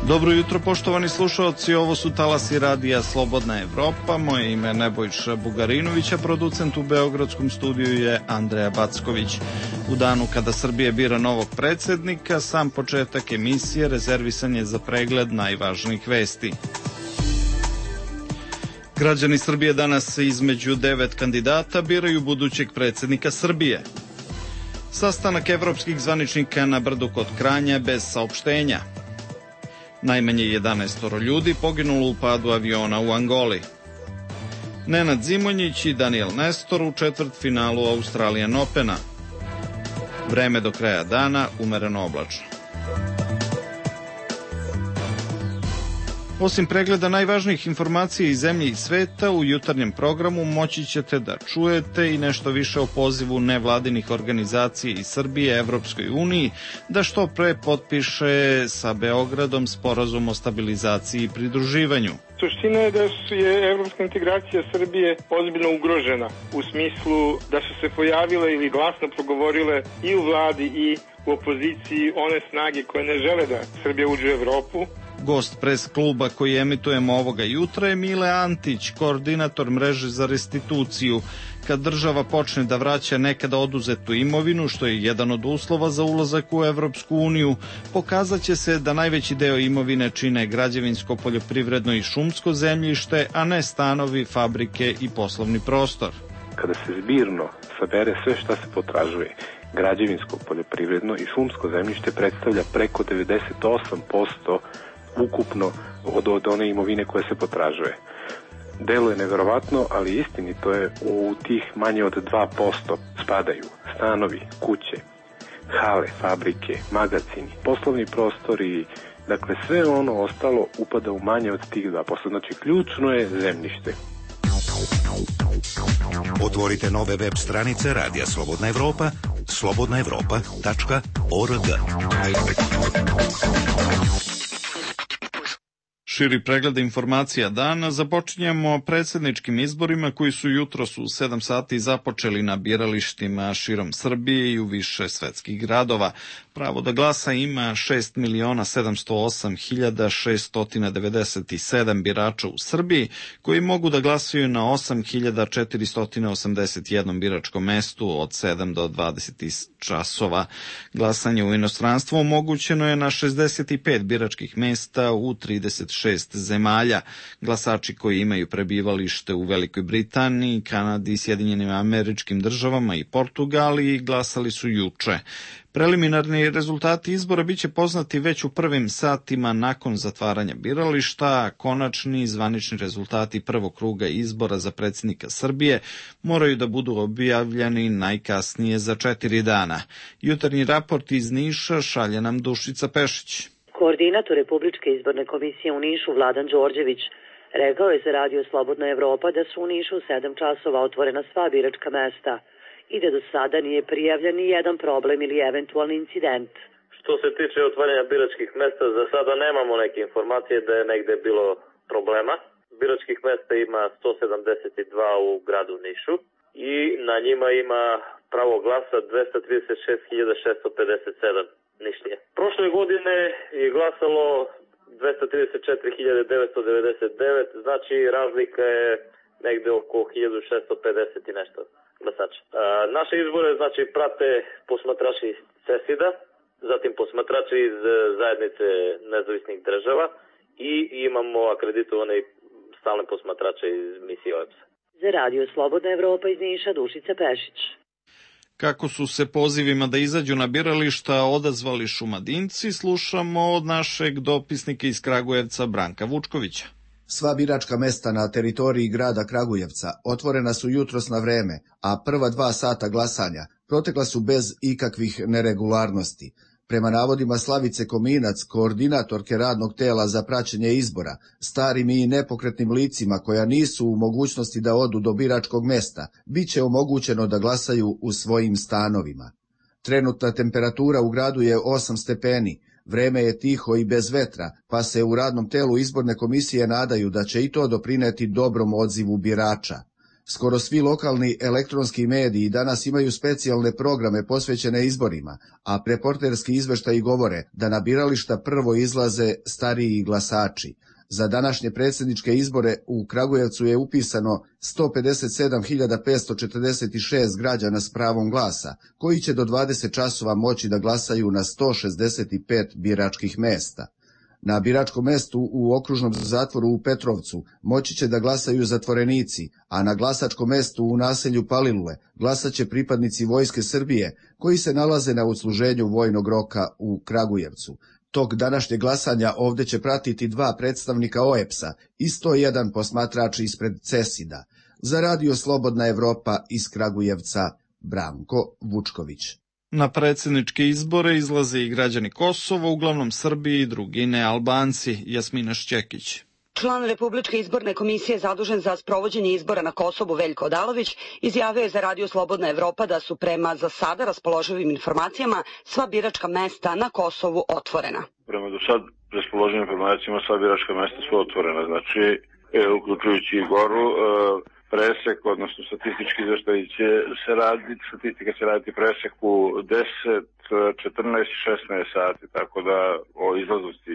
Dobro jutro, poštovani slušalci, ovo su talasi radija Slobodna Evropa. Moje ime je Nebojša Bugarinović, a producent u Beogradskom studiju je Andreja Backović. U danu kada Srbija bira novog predsednika, sam početak emisije rezervisan je za pregled najvažnijih vesti. Građani Srbije danas između 9 kandidata biraju budućeg predsednika Srbije. Sastanak evropskih zvaničnika na Brdu kod Kranja bez saopštenja. Najmanje 11 ljudi poginulo u padu aviona u Angoli. Nenad Zimonjić i Daniel Nestor u četvrtfinalu Australian Opena. Vreme do kraja dana umereno oblačno. Osim pregleda najvažnijih informacija iz zemlje i sveta, u jutarnjem programu moći ćete da čujete i nešto više o pozivu nevladinih organizacija iz Srbije Evropskoj uniji da što pre potpiše sa Beogradom sporazum o stabilizaciji i pridruživanju. Suština je da je evropska integracija Srbije ozbiljno ugrožena u smislu da su se pojavile ili glasno progovorile i u vladi i u opoziciji one snage koje ne žele da Srbija uđe u Evropu. Gost pres kluba koji emitujemo ovoga jutra je Mile Antić, koordinator mreže za restituciju. Kad država počne da vraća nekada oduzetu imovinu, što je jedan od uslova za ulazak u Evropsku uniju, pokazat će se da najveći deo imovine čine građevinsko, poljoprivredno i šumsko zemljište, a ne stanovi, fabrike i poslovni prostor. Kada se zbirno sabere sve šta se potražuje, građevinsko, poljoprivredno i šumsko zemljište predstavlja preko 98% ukupno od one imovine koje se potražuje. Deluje neverovatno, ali istinito je, u tih manje od 2% spadaju stanovi, kuće, hale, fabrike, magacini, poslovni prostori, dakle sve ono ostalo upada u manje od tih 2%. Znači ključno je zemljište. Otvorite nove web stranice Radija Slobodna Evropa, slobodnaevropa.org. Širi pregled informacija dana započinjemo predsedničkim izborima koji su jutros u 7 sati započeli na biralištima širom Srbije i u više svetskih gradova. Pravo da glasa ima 6.708.697 birača u Srbiji, koji mogu da glasaju na 8.481 biračkom mestu od 7 do 20 časova. Glasanje u inostranstvu omogućeno je na 65 biračkih mesta u 36 zemalja. Glasači koji imaju prebivalište u Velikoj Britaniji, Kanadi, Sjedinjenim Američkim Državama i Portugaliji glasali su juče. Preliminarni rezultati izbora biće poznati već u prvim satima nakon zatvaranja birališta, a konačni zvanični rezultati prvog kruga izbora za predsjednika Srbije moraju da budu objavljeni najkasnije za 4 dana. Jutarnji raport iz Niša šalje nam Dušica Pešić. Koordinator Republičke izborne komisije u Nišu Vladan Đorđević rekao je za Radio Slobodna Evropa da su u Nišu u 7 časova otvorena sva biračka mesta i da do sada nije prijavljen ni jedan problem ili eventualni incident. Što se tiče otvaranja biračkih mesta, za sada nemamo neke informacije da je negde bilo problema. Biračkih mesta ima 172 u gradu Nišu i na njima ima pravo glasa 236.657 Nišlije. Prošle godine je glasalo 234.999, znači razlika je negde oko 1650 i nešto glasača. Naše izbore znači prate posmatrači iz CESID-a, zatim posmatrači iz zajednice nezavisnih država i imamo akreditovane stalne posmatrače iz misije OEBS-a. Za Radio Slobodna Evropa iz Niša Dušica Pešić. Kako su se pozivima da izađu na birališta odazvali Šumadinci, slušamo od našeg dopisnika iz Kragujevca Branka Vučkovića. Sva biračka mesta na teritoriji grada Kragujevca otvorena su jutros na vreme, a prva 2 sata glasanja protekla su bez ikakvih neregularnosti. Prema navodima Slavice Kominac, koordinatorke radnog tela za praćenje izbora, starim i nepokretnim licima koja nisu u mogućnosti da odu do biračkog mesta, bit će omogućeno da glasaju u svojim stanovima. Trenutna temperatura u gradu je 8 stepeni, vreme je tiho i bez vetra, pa se u radnom telu izborne komisije nadaju da će i to doprineti dobrom odzivu birača. Skoro svi lokalni elektronski mediji danas imaju specijalne programe posvećene izborima, a reporterski izveštaji govore da na birališta prvo izlaze stariji glasači. Za današnje predsjedničke izbore u Kragujevcu je upisano 157.546 građana s pravom glasa, koji će do 20 časova moći da glasaju na 165 biračkih mesta. Na biračkom mestu u okružnom zatvoru u Petrovcu moći će da glasaju zatvorenici, a na glasačkom mestu u naselju Palilule glasaće pripadnici Vojske Srbije koji se nalaze na odsluženju vojnog roka u Kragujevcu. Tok današnjeg glasanja ovdje će pratiti 2 predstavnika OEBS-a i 101 posmatrač ispred CESID-a. Za Radio Slobodna Evropa iz Kragujevca, Branko Vučković. Na predsjedničke izbore izlaze i građani Kosova, uglavnom Srbi i drugi nealbanci. Jasmina Šćekić. Član Republičke izborne komisije zadužen za sprovođenje izbora na Kosovu Veljko Odalović izjavio je za Radio Slobodna Evropa da su prema za sada raspoloživim informacijama sva biračka mesta na Kosovu otvorena. Prema do sad raspoloživim informacijama sva biračka mesta su otvorena, znači uključujući i Goru, presek, odnosno statistički izveštaj će se raditi, statistika će raditi presek u 10, 14 i 16 sati, tako da o izlaznosti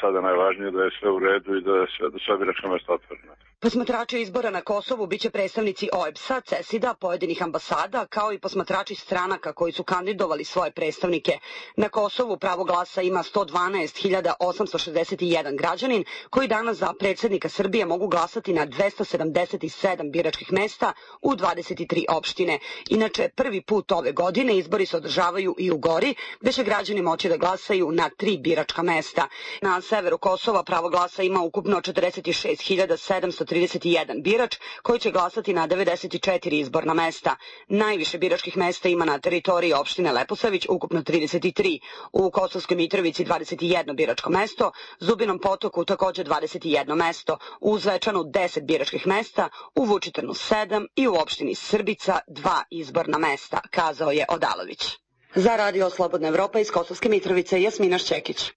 sada najvažnije da je sve u redu i da je sva biračka mesta otvorena. Posmatrači izbora na Kosovu biće predstavnici OEBS-a, CESID-a, pojedinih ambasada, kao i posmatrači stranaka koji su kandidovali svoje predstavnike. Na Kosovu pravo glasa ima 112.861 građanin, koji danas za predsjednika Srbije mogu glasati na 277 biračkih mesta u 23 opštine. Inače, prvi put ove godine izbori se održavaju i u Gori, gde će građani moći da glasaju na 3 biračka mesta. Na severu Kosova pravo glasa ima ukupno 46.731 birač koji će glasati na 94 izborna mesta. Najviše biračkih mesta ima na teritoriji opštine Leposavić, ukupno 33. U Kosovskoj Mitrovici 21 biračko mesto, Zubinom Potoku također 21 mesto, u Zvečanu 10 biračkih mesta, u Vučitrnu 7 i u opštini Srbica 2 izborna mesta, kazao je Odalović. Za Radio Slobodna Evropa iz Kosovske Mitrovice, Jasmina Šćekić.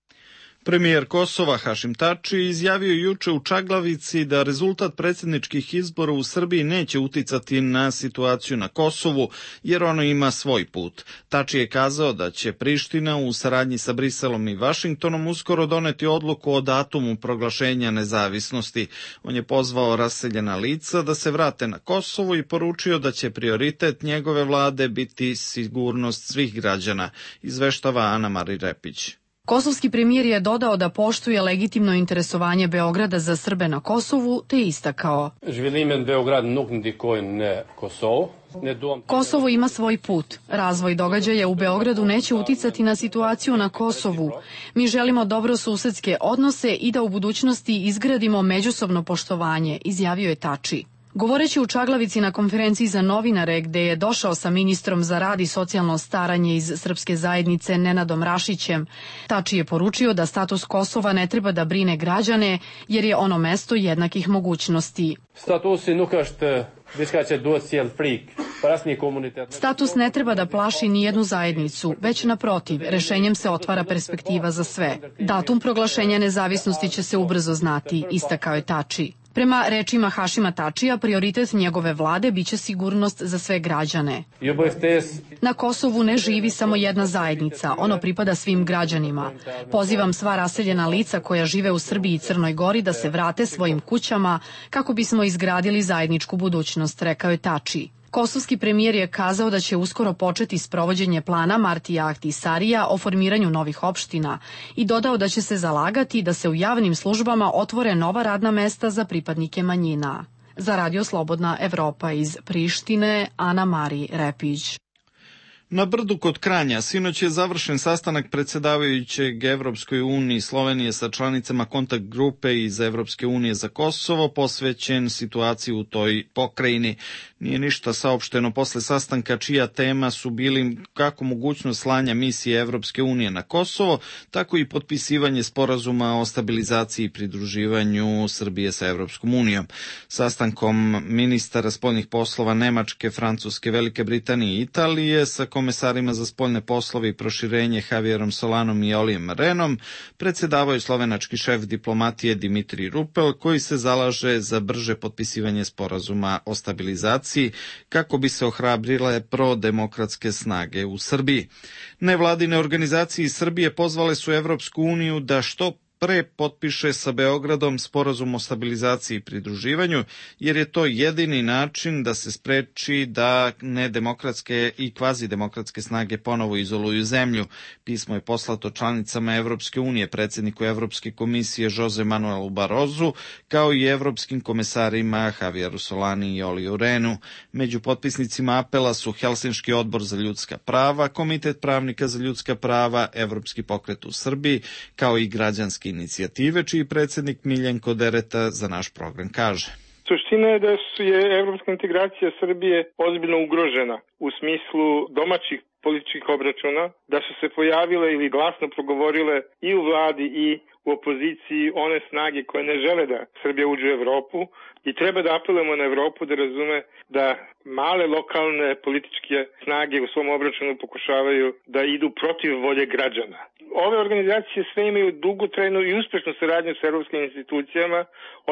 Premijer Kosova Hašim Tači izjavio juče u Čaglavici da rezultat predsjedničkih izbora u Srbiji neće uticati na situaciju na Kosovu, jer ono ima svoj put. Tači je kazao da će Priština u saradnji sa Briselom i Vašingtonom uskoro doneti odluku o datumu proglašenja nezavisnosti. On je pozvao raseljena lica da se vrate na Kosovo i poručio da će prioritet njegove vlade biti sigurnost svih građana, izveštava Ana Mari Repić. Kosovski premijer je dodao da poštuje legitimno interesovanje Beograda za Srbe na Kosovu, te istakao: Kosovo ima svoj put. Razvoj događaja u Beogradu neće uticati na situaciju na Kosovu. Mi želimo dobrosusedske odnose i da u budućnosti izgradimo međusobno poštovanje, izjavio je Tači. Govoreći u Čaglavici na konferenciji za novinare gde je došao sa ministrom za rad i socijalno staranje iz srpske zajednice Nenadom Rašićem, Tači je poručio da status Kosova ne treba da brine građane jer je ono mesto jednakih mogućnosti. Status ne treba da plaši ni jednu zajednicu, već naprotiv, rešenjem se otvara perspektiva za sve. Datum proglašenja nezavisnosti će se ubrzo znati, istakao je Tači. Prema rečima Hašima Tačija, prioritet njegove vlade biće sigurnost za sve građane. Na Kosovu ne živi samo jedna zajednica, ono pripada svim građanima. Pozivam sva raseljena lica koja žive u Srbiji i Crnoj Gori da se vrate svojim kućama kako bismo izgradili zajedničku budućnost, rekao je Tači. Kosovski premijer je kazao da će uskoro početi sprovođenje plana Martija Ahtisarija o formiranju novih opština i dodao da će se zalagati da se u javnim službama otvore nova radna mesta za pripadnike manjina. Za Radio Slobodna Evropa iz Prištine, Ana Mari Repić. Na Brdu kod Kranja sinoć je završen sastanak predsjedavajućeg Evropskoj uniji Slovenije sa članicama kontakt grupe iz Evropske unije za Kosovo, posvećen situaciji u toj pokrajini. Nije ništa saopšteno posle sastanka čija tema su bili kako mogućnost slanja misije Evropske unije na Kosovo, tako i potpisivanje sporazuma o stabilizaciji i pridruživanju Srbije sa Evropskom unijom. Sastankom ministara spoljnih poslova Nemačke, Francuske, Velike Britanije i Italije sa komesarima za spoljne poslove i proširenje Javierom Solanom i Olijem Renom predsjedavaju slovenački šef diplomatije Dimitrij Rupel, koji se zalaže za brže potpisivanje sporazuma o stabilizaciji kako bi se ohrabrile prodemokratske snage u Srbiji. Nevladine organizacije iz Srbije pozvale su Evropsku uniju da što pre potpiše sa Beogradom sporazum o stabilizaciji i pridruživanju, jer je to jedini način da se spreči da nedemokratske i kvazidemokratske snage ponovo izoluju zemlju. Pismo je poslato članicama Evropske unije, predsjedniku Evropske komisije Jose Manuelu Barrozu, kao i evropskim komesarima Javieru Solani i Oliju Renu. Među potpisnicima apela su Helsinški odbor za ljudska prava, Komitet pravnika za ljudska prava, Evropski pokret u Srbiji, kao i građanski inicijative, čiji predsjednik Miljenko Dereta za naš program kaže. Suština je da je evropska integracija Srbije ozbiljno ugrožena u smislu domaćih političkih obračuna, da su se pojavile ili glasno progovorile i u vladi i u opoziciji one snage koje ne žele da Srbija uđe u Evropu i treba da apelujemo na Evropu da razume da male lokalne političke snage u svom obračunu pokušavaju da idu protiv volje građana. Ove organizacije sve imaju dugotrajnu i uspešnu saradnju sa evropskim institucijama,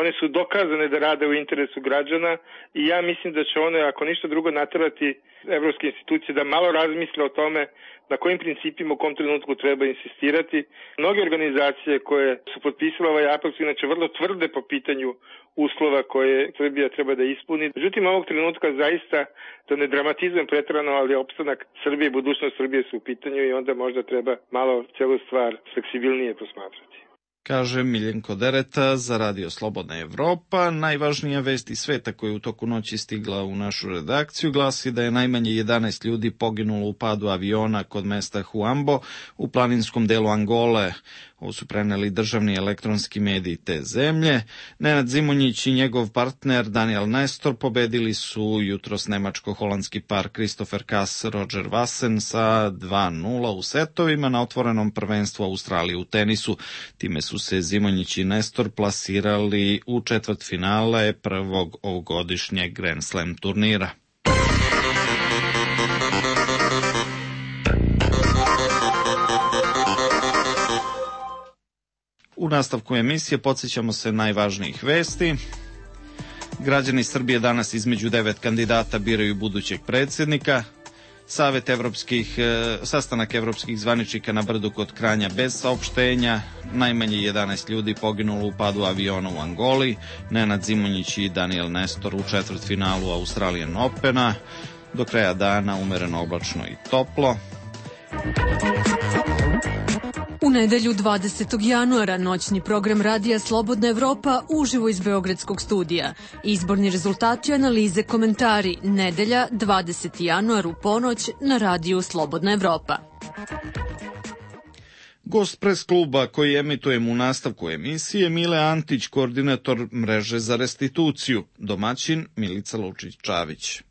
one su dokazane da rade u interesu građana i ja mislim da će one, ako ništa drugo, naterati evropske institucije da malo razmisle o tome na kojim principima u kom trenutku treba insistirati. Mnoge organizacije koje su potpisale ovaj apel su inače vrlo tvrde po pitanju uslova koje Srbija treba da ispuni. Međutim, ovog trenutka zaista, da ne dramatizujem preterano, ali opstanak Srbije i budućnost Srbije su u pitanju i onda možda treba malo celu stvar fleksibilnije posmatrati. Kaže Miljenko Dereta za Radio Slobodna Evropa. Najvažnija vest iz sveta koja je u toku noći stigla u našu redakciju glasi da je najmanje 11 ljudi poginulo u padu aviona kod mesta Huambo u planinskom delu Angole. Ovo su preneli državni elektronski mediji te zemlje. Nenad Zimonjić i njegov partner Daniel Nestor pobedili su jutros nemačko-holandski par Christopher Kass, Roger Vassen sa 2:0 u setovima na otvorenom prvenstvu Australije u tenisu. Time su se Zimonjić i Nestor plasirali u četvrtfinale prvog ovogodišnjeg Grand Slam turnira. U nastavku emisije podsjećamo se najvažnijih vesti. Građani Srbije danas između 9 kandidata biraju budućeg predsjednika. Sastanak evropskih zvaničnika na Brdu kod Kranja bez saopštenja. Najmanje 11 ljudi poginulo u padu aviona u Angoli. Nenad Zimonjić i Daniel Nestor u četvrtfinalu Australian Opena. Do kraja dana umereno oblačno i toplo. U nedelju 20. januara noćni program Radija Slobodna Evropa uživo iz Beogradskog studija. Izborni rezultati, analize, komentari. Nedelja 20. januar u ponoć na Radiju Slobodna Evropa. Gost pres kluba koji emitujemo u nastavku emisije Mile Antić, koordinator mreže za restituciju. Domaćin Milica Lučić-Čavić.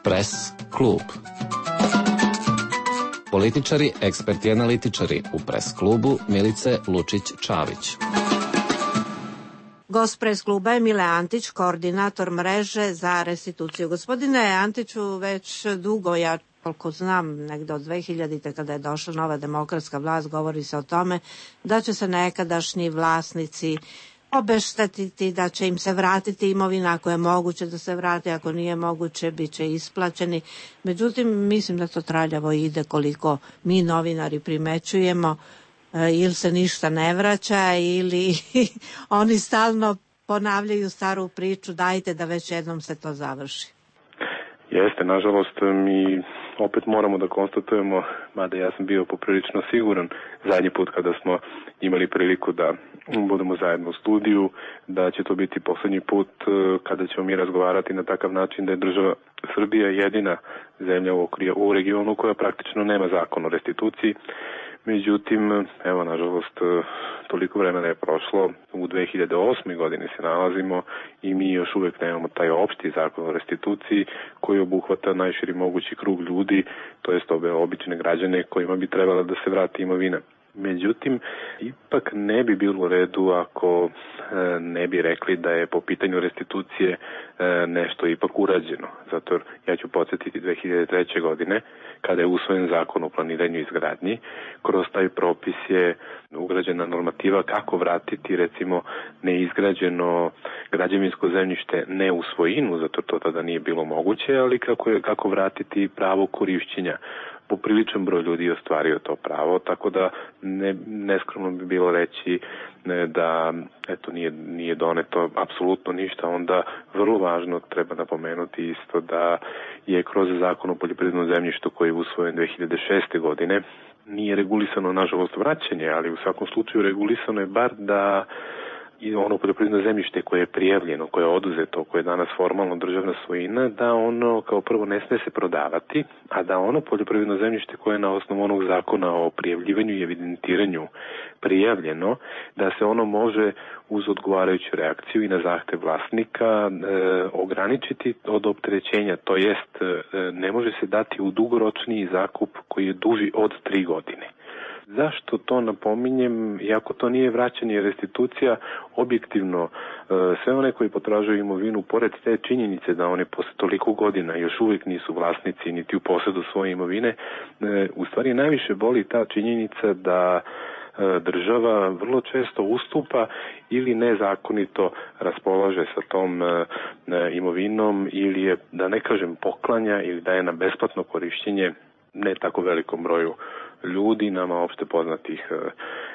Pres klub. Političari, eksperti i analitičari u pres klubu Milice Lučić-Čavić. Gost pres kluba je Mile Antić, koordinator mreže za restituciju. Gospodine Antiću, već dugo, ja koliko znam, negde od 2000. kada je došla nova demokratska vlast, govori se o tome da će se nekadašnji vlasnici obeštetiti, da će im se vratiti imovina ako je moguće da se vrati, ako nije moguće bit će isplaćeni. Međutim, mislim da to traljavo ide koliko mi novinari primećujemo, ili se ništa ne vraća ili oni stalno ponavljaju staru priču, dajte da već jednom se to završi. Jeste, nažalost, mi opet moramo da konstatujemo, mada ja sam bio poprilično siguran zadnji put kada smo imali priliku da budemo zajedno u studiju, da će to biti poslednji put kada ćemo mi razgovarati na takav način da je država Srbija jedina zemlja u regionu koja praktično nema zakon o restituciji. Međutim, evo, nažalost, toliko vremena je prošlo, u 2008. godini se nalazimo i mi još uvek nemamo taj opšti zakon o restituciji koji obuhvata najširi mogući krug ljudi, to jest ove obične građane kojima bi trebala da se vrati imovina. Međutim, ipak ne bi bilo u redu ako ne bi rekli da je po pitanju restitucije nešto ipak urađeno. Zato ja ću podsjetiti 2003. godine, kada je usvojen zakon o planiranju i izgradnji, kroz taj propis je ugrađena normativa kako vratiti, recimo, neizgrađeno građevinsko zemljište ne u svojinu, zato to tada nije bilo moguće, ali kako vratiti pravo korišćenja. Popriličan broj ljudi je ostvario to pravo, tako da neskromno bi bilo reći da eto nije doneto apsolutno ništa. Onda vrlo važno treba napomenuti isto da je kroz zakon o poljoprivrednom zemljištu koji je usvojen 2006. godine nije regulisano, nažalost, vraćanje, ali u svakom slučaju regulisano je bar da i ono poljoprivredno zemljište koje je prijavljeno, koje je oduzeto, koje je danas formalno državna svojina, da ono kao prvo ne sme se prodavati, a da ono poljoprivredno zemljište koje je na osnovu onog zakona o prijavljivanju i evidentiranju prijavljeno, da se ono može uz odgovarajuću reakciju i na zahtev vlasnika ograničiti od opterećenja, to jest ne može se dati u dugoročniji zakup koji je duži od 3 godine. Zašto to napominjem, iako to nije vraćanje i restitucija, objektivno sve one koji potražuju imovinu, pored te činjenice da one posle toliko godina još uvijek nisu vlasnici niti u posedu svoje imovine, u stvari najviše boli ta činjenica da država vrlo često ustupa ili nezakonito raspolaže sa tom imovinom ili je, da ne kažem, poklanja ili daje na besplatno korišćenje ne tako velikom broju ljudi, nama opšte poznatih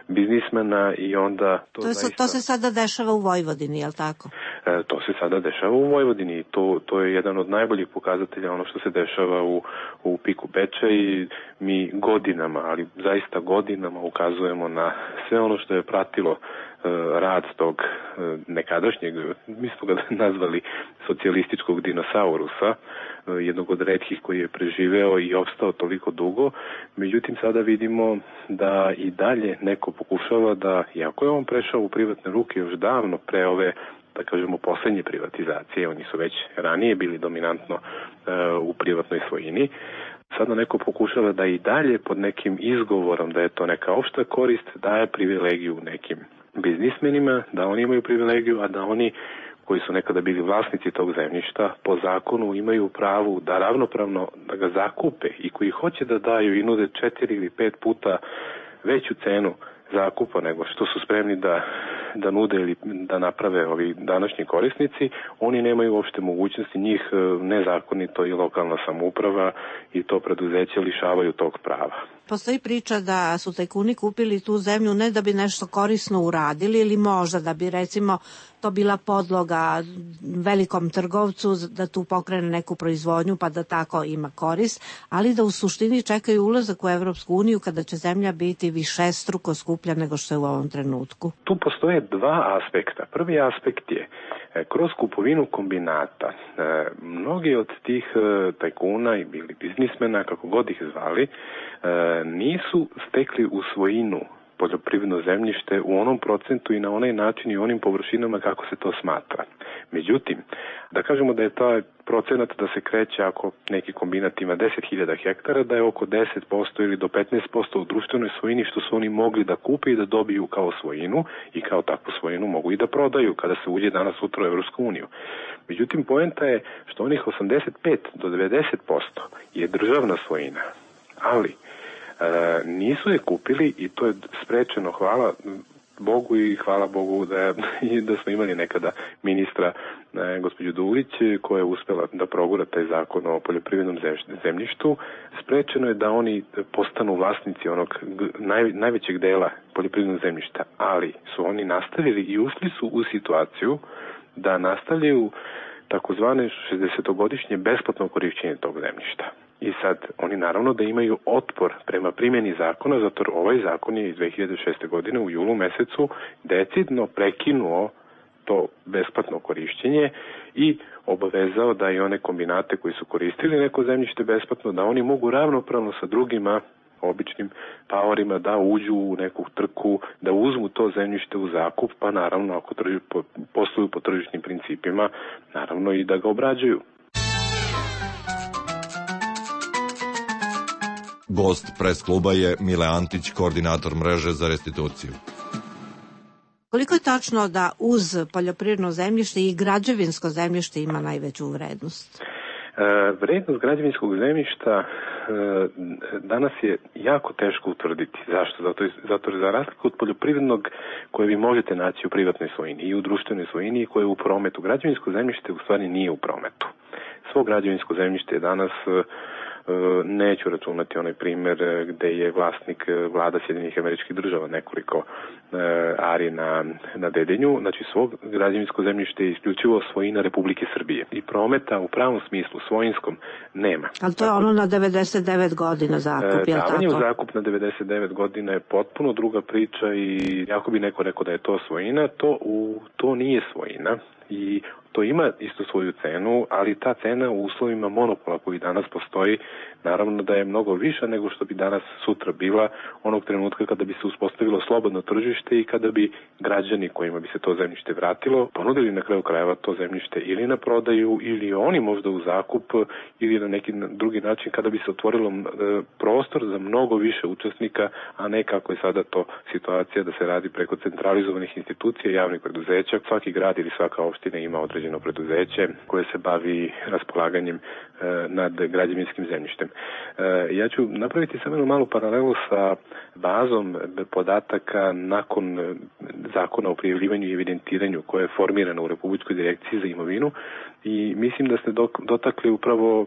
biznismena i onda... To se sada dešava u Vojvodini, je li tako? To se sada dešava u Vojvodini i to je jedan od najboljih pokazatelja ono što se dešava u Piku Beča i mi godinama, ali zaista godinama ukazujemo na sve ono što je pratilo rad tog nekadašnjeg, mi smo ga nazvali socijalističkog dinosaurusa, jednog od retkih koji je preživeo i opstao toliko dugo. Međutim, sada vidimo da i dalje neko pokušava da, iako je on prešao u privatne ruke još davno pre ove, da kažemo, poslednje privatizacije, oni su već ranije bili dominantno u privatnoj svojini, sada neko pokušava da i dalje pod nekim izgovorom da je to neka opšta korist daje privilegiju nekim biznismenima, da oni imaju privilegiju, a da oni koji su nekada bili vlasnici tog zemljišta po zakonu imaju pravo da ravnopravno da ga zakupe i koji hoće da daju i nude 4 ili 5 puta veću cenu zakupa nego što su spremni da nude ili da naprave ovi današnji korisnici, oni nemaju uopšte mogućnosti, njih nezakonito i lokalna samouprava i to preduzeće lišavaju tog prava. Postoji priča da su tajkuni kupili tu zemlju ne da bi nešto korisno uradili ili možda da bi, recimo, to bila podloga velikom trgovcu da tu pokrene neku proizvodnju pa da tako ima korist, ali da u suštini čekaju ulazak u Evropsku uniju kada će zemlja biti višestruko skuplja nego što je u ovom trenutku. Tu postoje dva aspekta. Prvi aspekt je kroz kupovinu kombinata. Mnogi od tih tajkuna ili biznismena, kako god ih zvali, nisu stekli u svojinu poljoprivredno zemljište u onom procentu i na onaj način i onim površinama kako se to smatra. Međutim, da kažemo da je taj procenat da se kreće ako neki kombinat ima 10.000 hektara, da je oko 10% ili do 15% u društvenoj svojini što su oni mogli da kupe i da dobiju kao svojinu i kao takvu svojinu mogu i da prodaju kada se uđe danas sutra u Evropsku uniju. Međutim, poenta je što onih 85 do 90% je državna svojina, ali nisu je kupili i to je sprečeno, hvala Bogu i hvala Bogu da smo imali nekada ministra gospođu Dulić koja je uspela da progura taj zakon o poljoprivrednom zemljištu. Sprečeno je da oni postanu vlasnici onog najvećeg dela poljoprivrednog zemljišta, ali su oni nastavili i ušli su u situaciju da nastavljaju takozvane 60-godišnje besplatno korišćenje tog zemljišta. I sad, oni naravno da imaju otpor prema primjeni zakona, zato ovaj zakon je iz 2006. godine u julu mesecu decidno prekinuo to besplatno korišćenje i obavezao da i one kombinate koji su koristili neko zemljište besplatno, da oni mogu ravnopravno sa drugima običnim paorima da uđu u neku trku, da uzmu to zemljište u zakup, pa naravno ako posluju po tržišnim principima, naravno i da ga obrađuju. Gost pres kluba je Mile Antić, koordinator mreže za restituciju. Koliko je tačno da uz poljoprivredno zemljište i građevinsko zemljište ima najveću vrednost? Vrednost građevinskog zemljišta danas je jako teško utvrditi. Zašto? Zato za razliku od poljoprivrednog koje vi možete naći u privatnoj svojini i u društvenoj svojini i koje je u prometu. Građevinsko zemljište u stvari nije u prometu. Svo građevinsko zemljište je danas, neću računati onaj primer gde je vlasnik vlada Sjedinjenih Američkih Država, nekoliko ari na Dedinju, znači svog građevinsko zemljište je isključivo svojina Republike Srbije i prometa u pravom smislu svojinskom nema. Ali to je ono na 99 godina zakup, je li tako? Davanje u zakup na 99 godina je potpuno druga priča i ako bi neko rekao da je to svojina, to nije svojina i to ima isto svoju cenu, ali ta cena u uslovima monopola koji danas postoji, naravno da je mnogo viša nego što bi danas sutra bila onog trenutka kada bi se uspostavilo slobodno tržište i kada bi građani kojima bi se to zemljište vratilo ponudili na kraju krajeva to zemljište ili na prodaju ili oni možda u zakup ili na neki drugi način kada bi se otvorilo prostor za mnogo više učesnika, a ne kako je sada to situacija da se radi preko centralizovanih institucija i javnih preduzeća. Svaki grad ili svaka opština ima određeno preduzeće koje se bavi raspolaganjem nad građevinskim zemljištem. Ja ću napraviti samo jednu malu paralelu sa bazom podataka nakon zakona o prijavljivanju i evidentiranju koja je formirana u Republičkoj direkciji za imovinu i mislim da ste dotakli upravo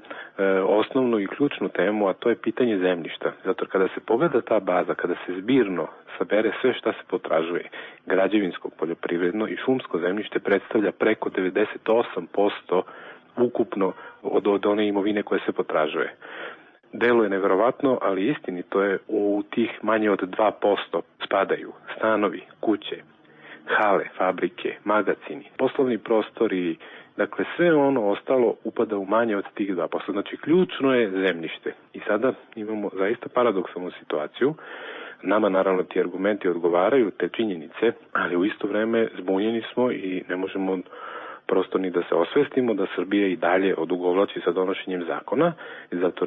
osnovnu i ključnu temu, a to je pitanje zemljišta. Zato kada se pogleda ta baza, kada se zbirno sabere sve šta se potražuje, građevinsko, poljoprivredno i šumsko zemljište predstavlja preko 98% ukupno od one imovine koje se potražuje. Deluje neverovatno, ali istinito je u tih manje od 2% spadaju stanovi, kuće, hale, fabrike, magacini, poslovni prostori, dakle sve ono ostalo upada u manje od tih 2%. Znači ključno je zemljište. I sada imamo zaista paradoksalnu situaciju. Nama naravno ti argumenti odgovaraju, te činjenice, ali u isto vreme zbunjeni smo i ne možemo prosto ni da se osvestimo da Srbija i dalje odugovlači sa donošenjem zakona. I zato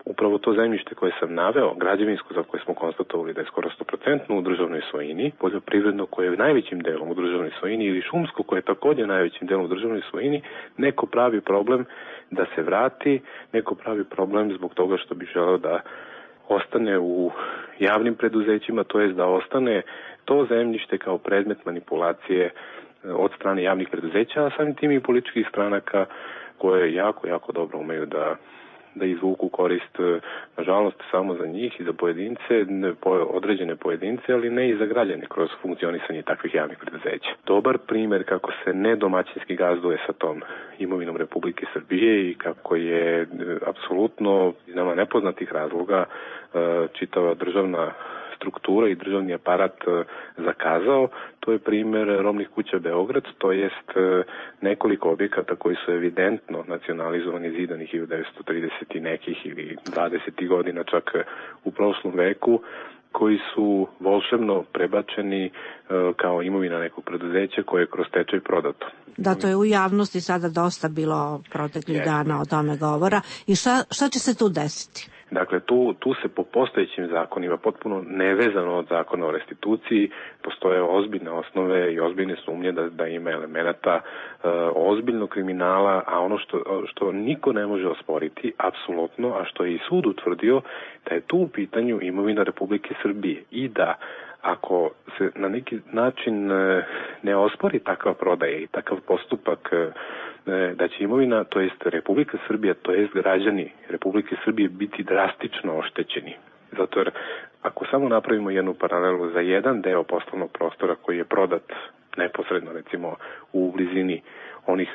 upravo to zemljište koje sam naveo, građevinsko za koje smo konstatovali da je skoro 100% u državnoj svojini, poljoprivredno koje je najvećim delom u državnoj svojini ili šumsko koje je također najvećim delom u državnoj svojini, neko pravi problem da se vrati, neko pravi problem zbog toga što bi želeo da ostane u javnim preduzećima, to jest da ostane to zemljište kao predmet manipulacije od strane javnih preduzeća, a samim tim i političkih stranaka koje jako dobro umeju da izvuku korist, nažalost, samo za njih i za pojedince, određene pojedince, ali ne i za građane kroz funkcionisanje takvih javnih preduzeća. Dobar primer kako se nedomaćinski gazduje sa tom imovinom Republike Srbije i kako je apsolutno iz nama nepoznatih razloga čitava državna struktura i državni aparat zakazao, to je primer Robnih kuća Beograd, to jest nekoliko objekata koji su evidentno nacionalizovani, zidani 1930 i nekih ili 20. godina čak u prošlom veku, koji su volšebno prebačeni kao imovina nekog preduzeća koje je kroz stečaj prodato. Da, to je u javnosti sada dosta bilo proteklih dana o tome govora. I šta će se tu desiti? Dakle, tu se po postojećim zakonima, potpuno nevezano od zakona o restituciji, postoje ozbiljne osnove i ozbiljne sumnje da ima elemenata ozbiljnog kriminala, a ono što niko ne može osporiti, apsolutno, a što je i sud utvrdio, da je tu u pitanju imovina Republike Srbije i da ako se na neki način ne ospori takva prodaja i takav postupak, da će imovina, to jest Republika Srbija, to jest građani Republike Srbije biti drastično oštećeni. Zato jer ako samo napravimo jednu paralelu za jedan deo poslovnog prostora koji je prodat neposredno recimo u blizini onih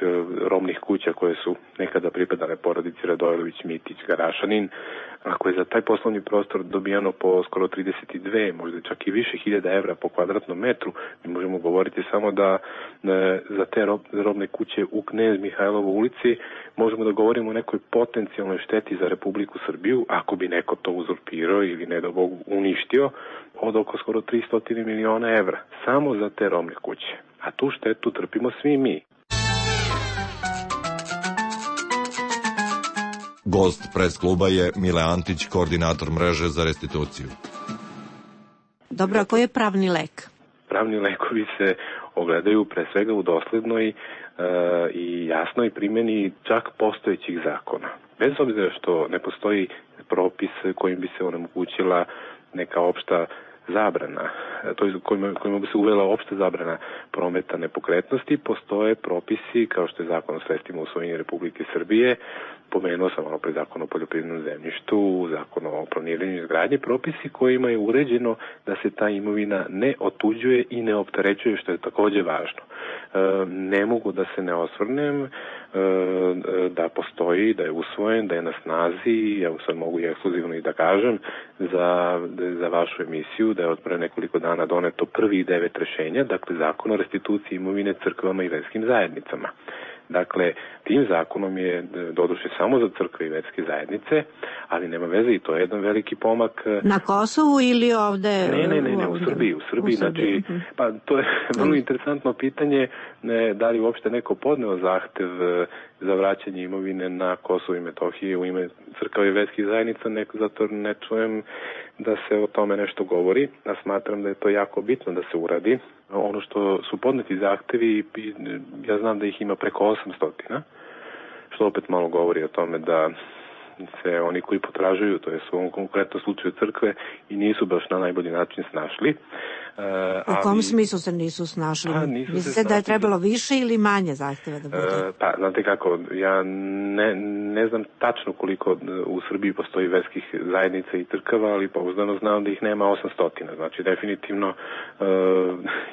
robnih kuća koje su nekada pripadale porodici Radojlović, Mitić, Garašanin. Ako je za taj poslovni prostor dobijano po skoro 32, možda čak i više hiljada evra po kvadratnom metru, mi možemo govoriti samo da za te robne kuće u Knez Mihajlovoj ulici možemo da govorimo o nekoj potencijalnoj šteti za Republiku Srbiju, ako bi neko to uzurpirao ili ne da Bog uništio, od oko skoro 300 miliona evra, samo za te robne kuće. A tu štetu trpimo svi mi. Gost pres kluba je Mile Antić, koordinator mreže za restituciju. Dobro, a koji je pravni lek? Pravni lekovi se ogledaju pre svega u doslednoj i jasnoj primjeni čak postojećih zakona. Bez obzira što ne postoji propis kojim bi se onemogućila neka opšta zabrana, to je kojima bi se uvela opšta zabrana prometa nepokretnosti, postoje propisi kao što je Zakon o sredstvima u svojini Republike Srbije, pomenuo sam malo pre Zakon o poljoprivrednom zemljištu, Zakon o planiranju i izgradnji, propisi kojima je uređeno da se ta imovina ne otuđuje i ne opterećuje, što je takođe važno. Ne mogu da se ne osvrnem da postoji, da je usvojen, da je na snazi, ja sad mogu i ekskluzivno i da kažem za vašu emisiju, da je od pre nekoliko dana doneto prvih 9 rešenja, dakle Zakon o restituciji imovine crkvama i verskim zajednicama. Dakle, tim zakonom je doduše samo za crkve i verske zajednice, ali nema veze i to je jedan veliki pomak. Na Kosovu ili ovde? Ne, u Srbiji. Znači, pa to je vrlo interesantno pitanje, da li uopšte neko podneo zahtev za vraćanje imovine na Kosovo i Metohije u ime crkava i verskih zajednica, zato ne čujem da se o tome nešto govori, a smatram da je to jako bitno da se uradi. Ono što su podneti zahtevi, ja znam da ih ima preko 800, što opet malo govori o tome da se oni koji potražuju, to je u ovom konkretnom slučaju crkve, i nisu baš na najbolji način snašli. U kom smislu se nisu snašli? Mislite da je trebalo više ili manje zahteva da bude? Pa, znate kako, ja ne znam tačno koliko u Srbiji postoji verskih zajednica i crkava, ali pouzdano znam da ih nema 800. Znači, definitivno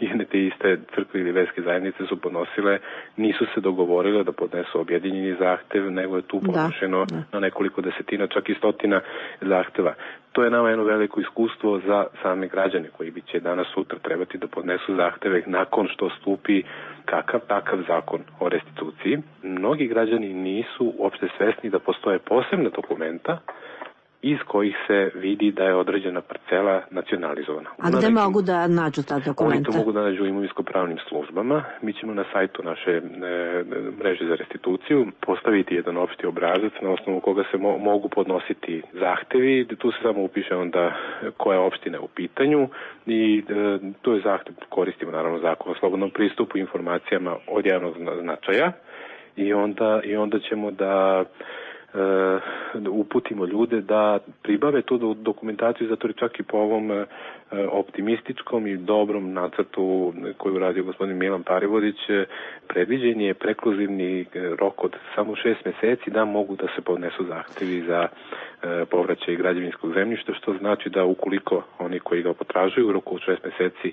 jedne te iste crkve ili verske zajednice su podnosile, nisu se dogovorile da podnesu objedinjeni zahtev, nego je tu podnošeno na nekoliko desetina, čak i stotina zahteva. To je nama jedno veliko iskustvo za same građane koji bi će danas sutra trebati da podnesu zahteve nakon što stupi kakav takav zakon o restituciji. Mnogi građani nisu uopšte svesni da postoje posebna dokumenta iz kojih se vidi da je određena parcela nacionalizovana. A gde mogu da nađu ta dokumenta? Oni to mogu da nađu u imovinsko-pravnim službama. Mi ćemo na sajtu naše mreže za restituciju postaviti jedan opšti obrazac na osnovu koga se mogu podnositi zahtevi. Tu se samo upiše onda koja opština je u pitanju i to je zahtev, koristimo naravno Zakon o slobodnom pristupu informacijama od javnog značaja i onda ćemo da uputimo ljude da pribave tu dokumentaciju, zato je čak i po ovom optimističkom i dobrom nacrtu koju uradio gospodin Milan Parivodić predviđen je prekluzivni rok od samo 6 meseci da mogu da se podnesu zahtevi za povraćaj građevinskog zemljišta, što znači da ukoliko oni koji ga potražuju u roku od 6 meseci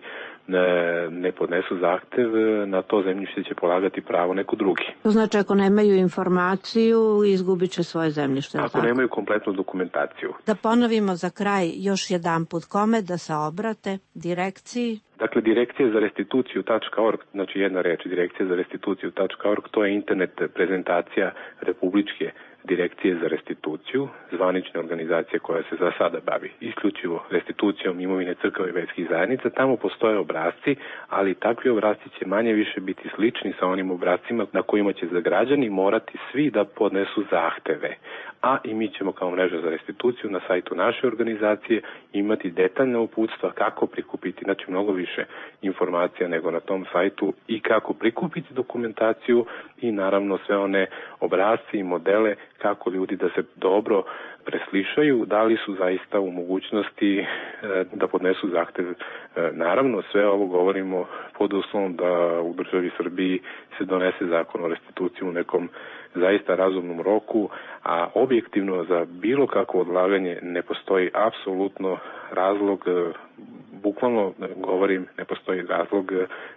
ne podnesu zahtev, na to zemljište će polagati pravo neko drugi. To znači ako nemaju informaciju, izgubit će svoje zemljište. Ako nemaju kompletnu dokumentaciju. Da ponovimo za kraj još jedan put kome da se obrate, direkciji? Dakle, direkcija za restituciju.org, znači jedna reč, direkcija za restituciju.org, to je internet prezentacija Republičke direkcije za restituciju, zvanične organizacije koja se za sada bavi isključivo restitucijom imovine crkava i verskih zajednica. Tamo postoje obrasci, ali takvi obrasci će manje više biti slični sa onim obrascima na kojima će za građani morati svi da podnesu zahteve. A i mi ćemo kao mreža za restituciju na sajtu naše organizacije imati detaljna uputstva kako prikupiti, znači mnogo više informacija nego na tom sajtu i kako prikupiti dokumentaciju i naravno sve one obrasci i modele kako ljudi da se dobro preslišaju, da li su zaista u mogućnosti da podnesu zahtev. Naravno, sve ovo govorimo pod uslovom da u državi Srbiji se donese zakon o restituciji u nekom zaista razumnom roku, a objektivno za bilo kakvo odlaganje ne postoji apsolutno razlog bukvalno govorim, ne postoji razlog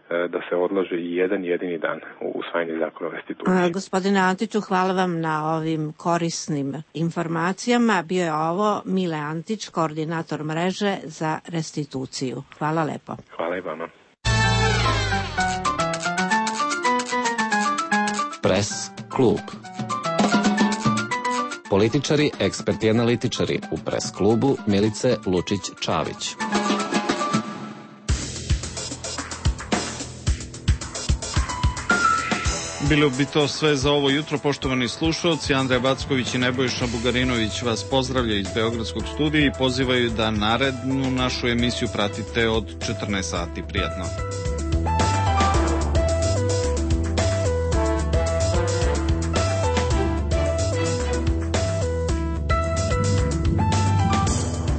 da se odlože i jedan jedini dan u usvajanje zakona o restituciji. Gospodine Antiću, hvala vam na ovim korisnim informacijama. Bio je ovo Mile Antić, koordinator mreže za restituciju. Hvala lepo. Hvala i vama. Pres klub. Političari, eksperti i analitičari u Pres klubu Milice Lučić-Čavić. Bilo bi to sve za ovo jutro, poštovani slušalci. Andreja Backović i Nebojša Bugarinović vas pozdravljaju iz Beogradskog studija i pozivaju da narednu našu emisiju pratite od 14 sati. Prijatno.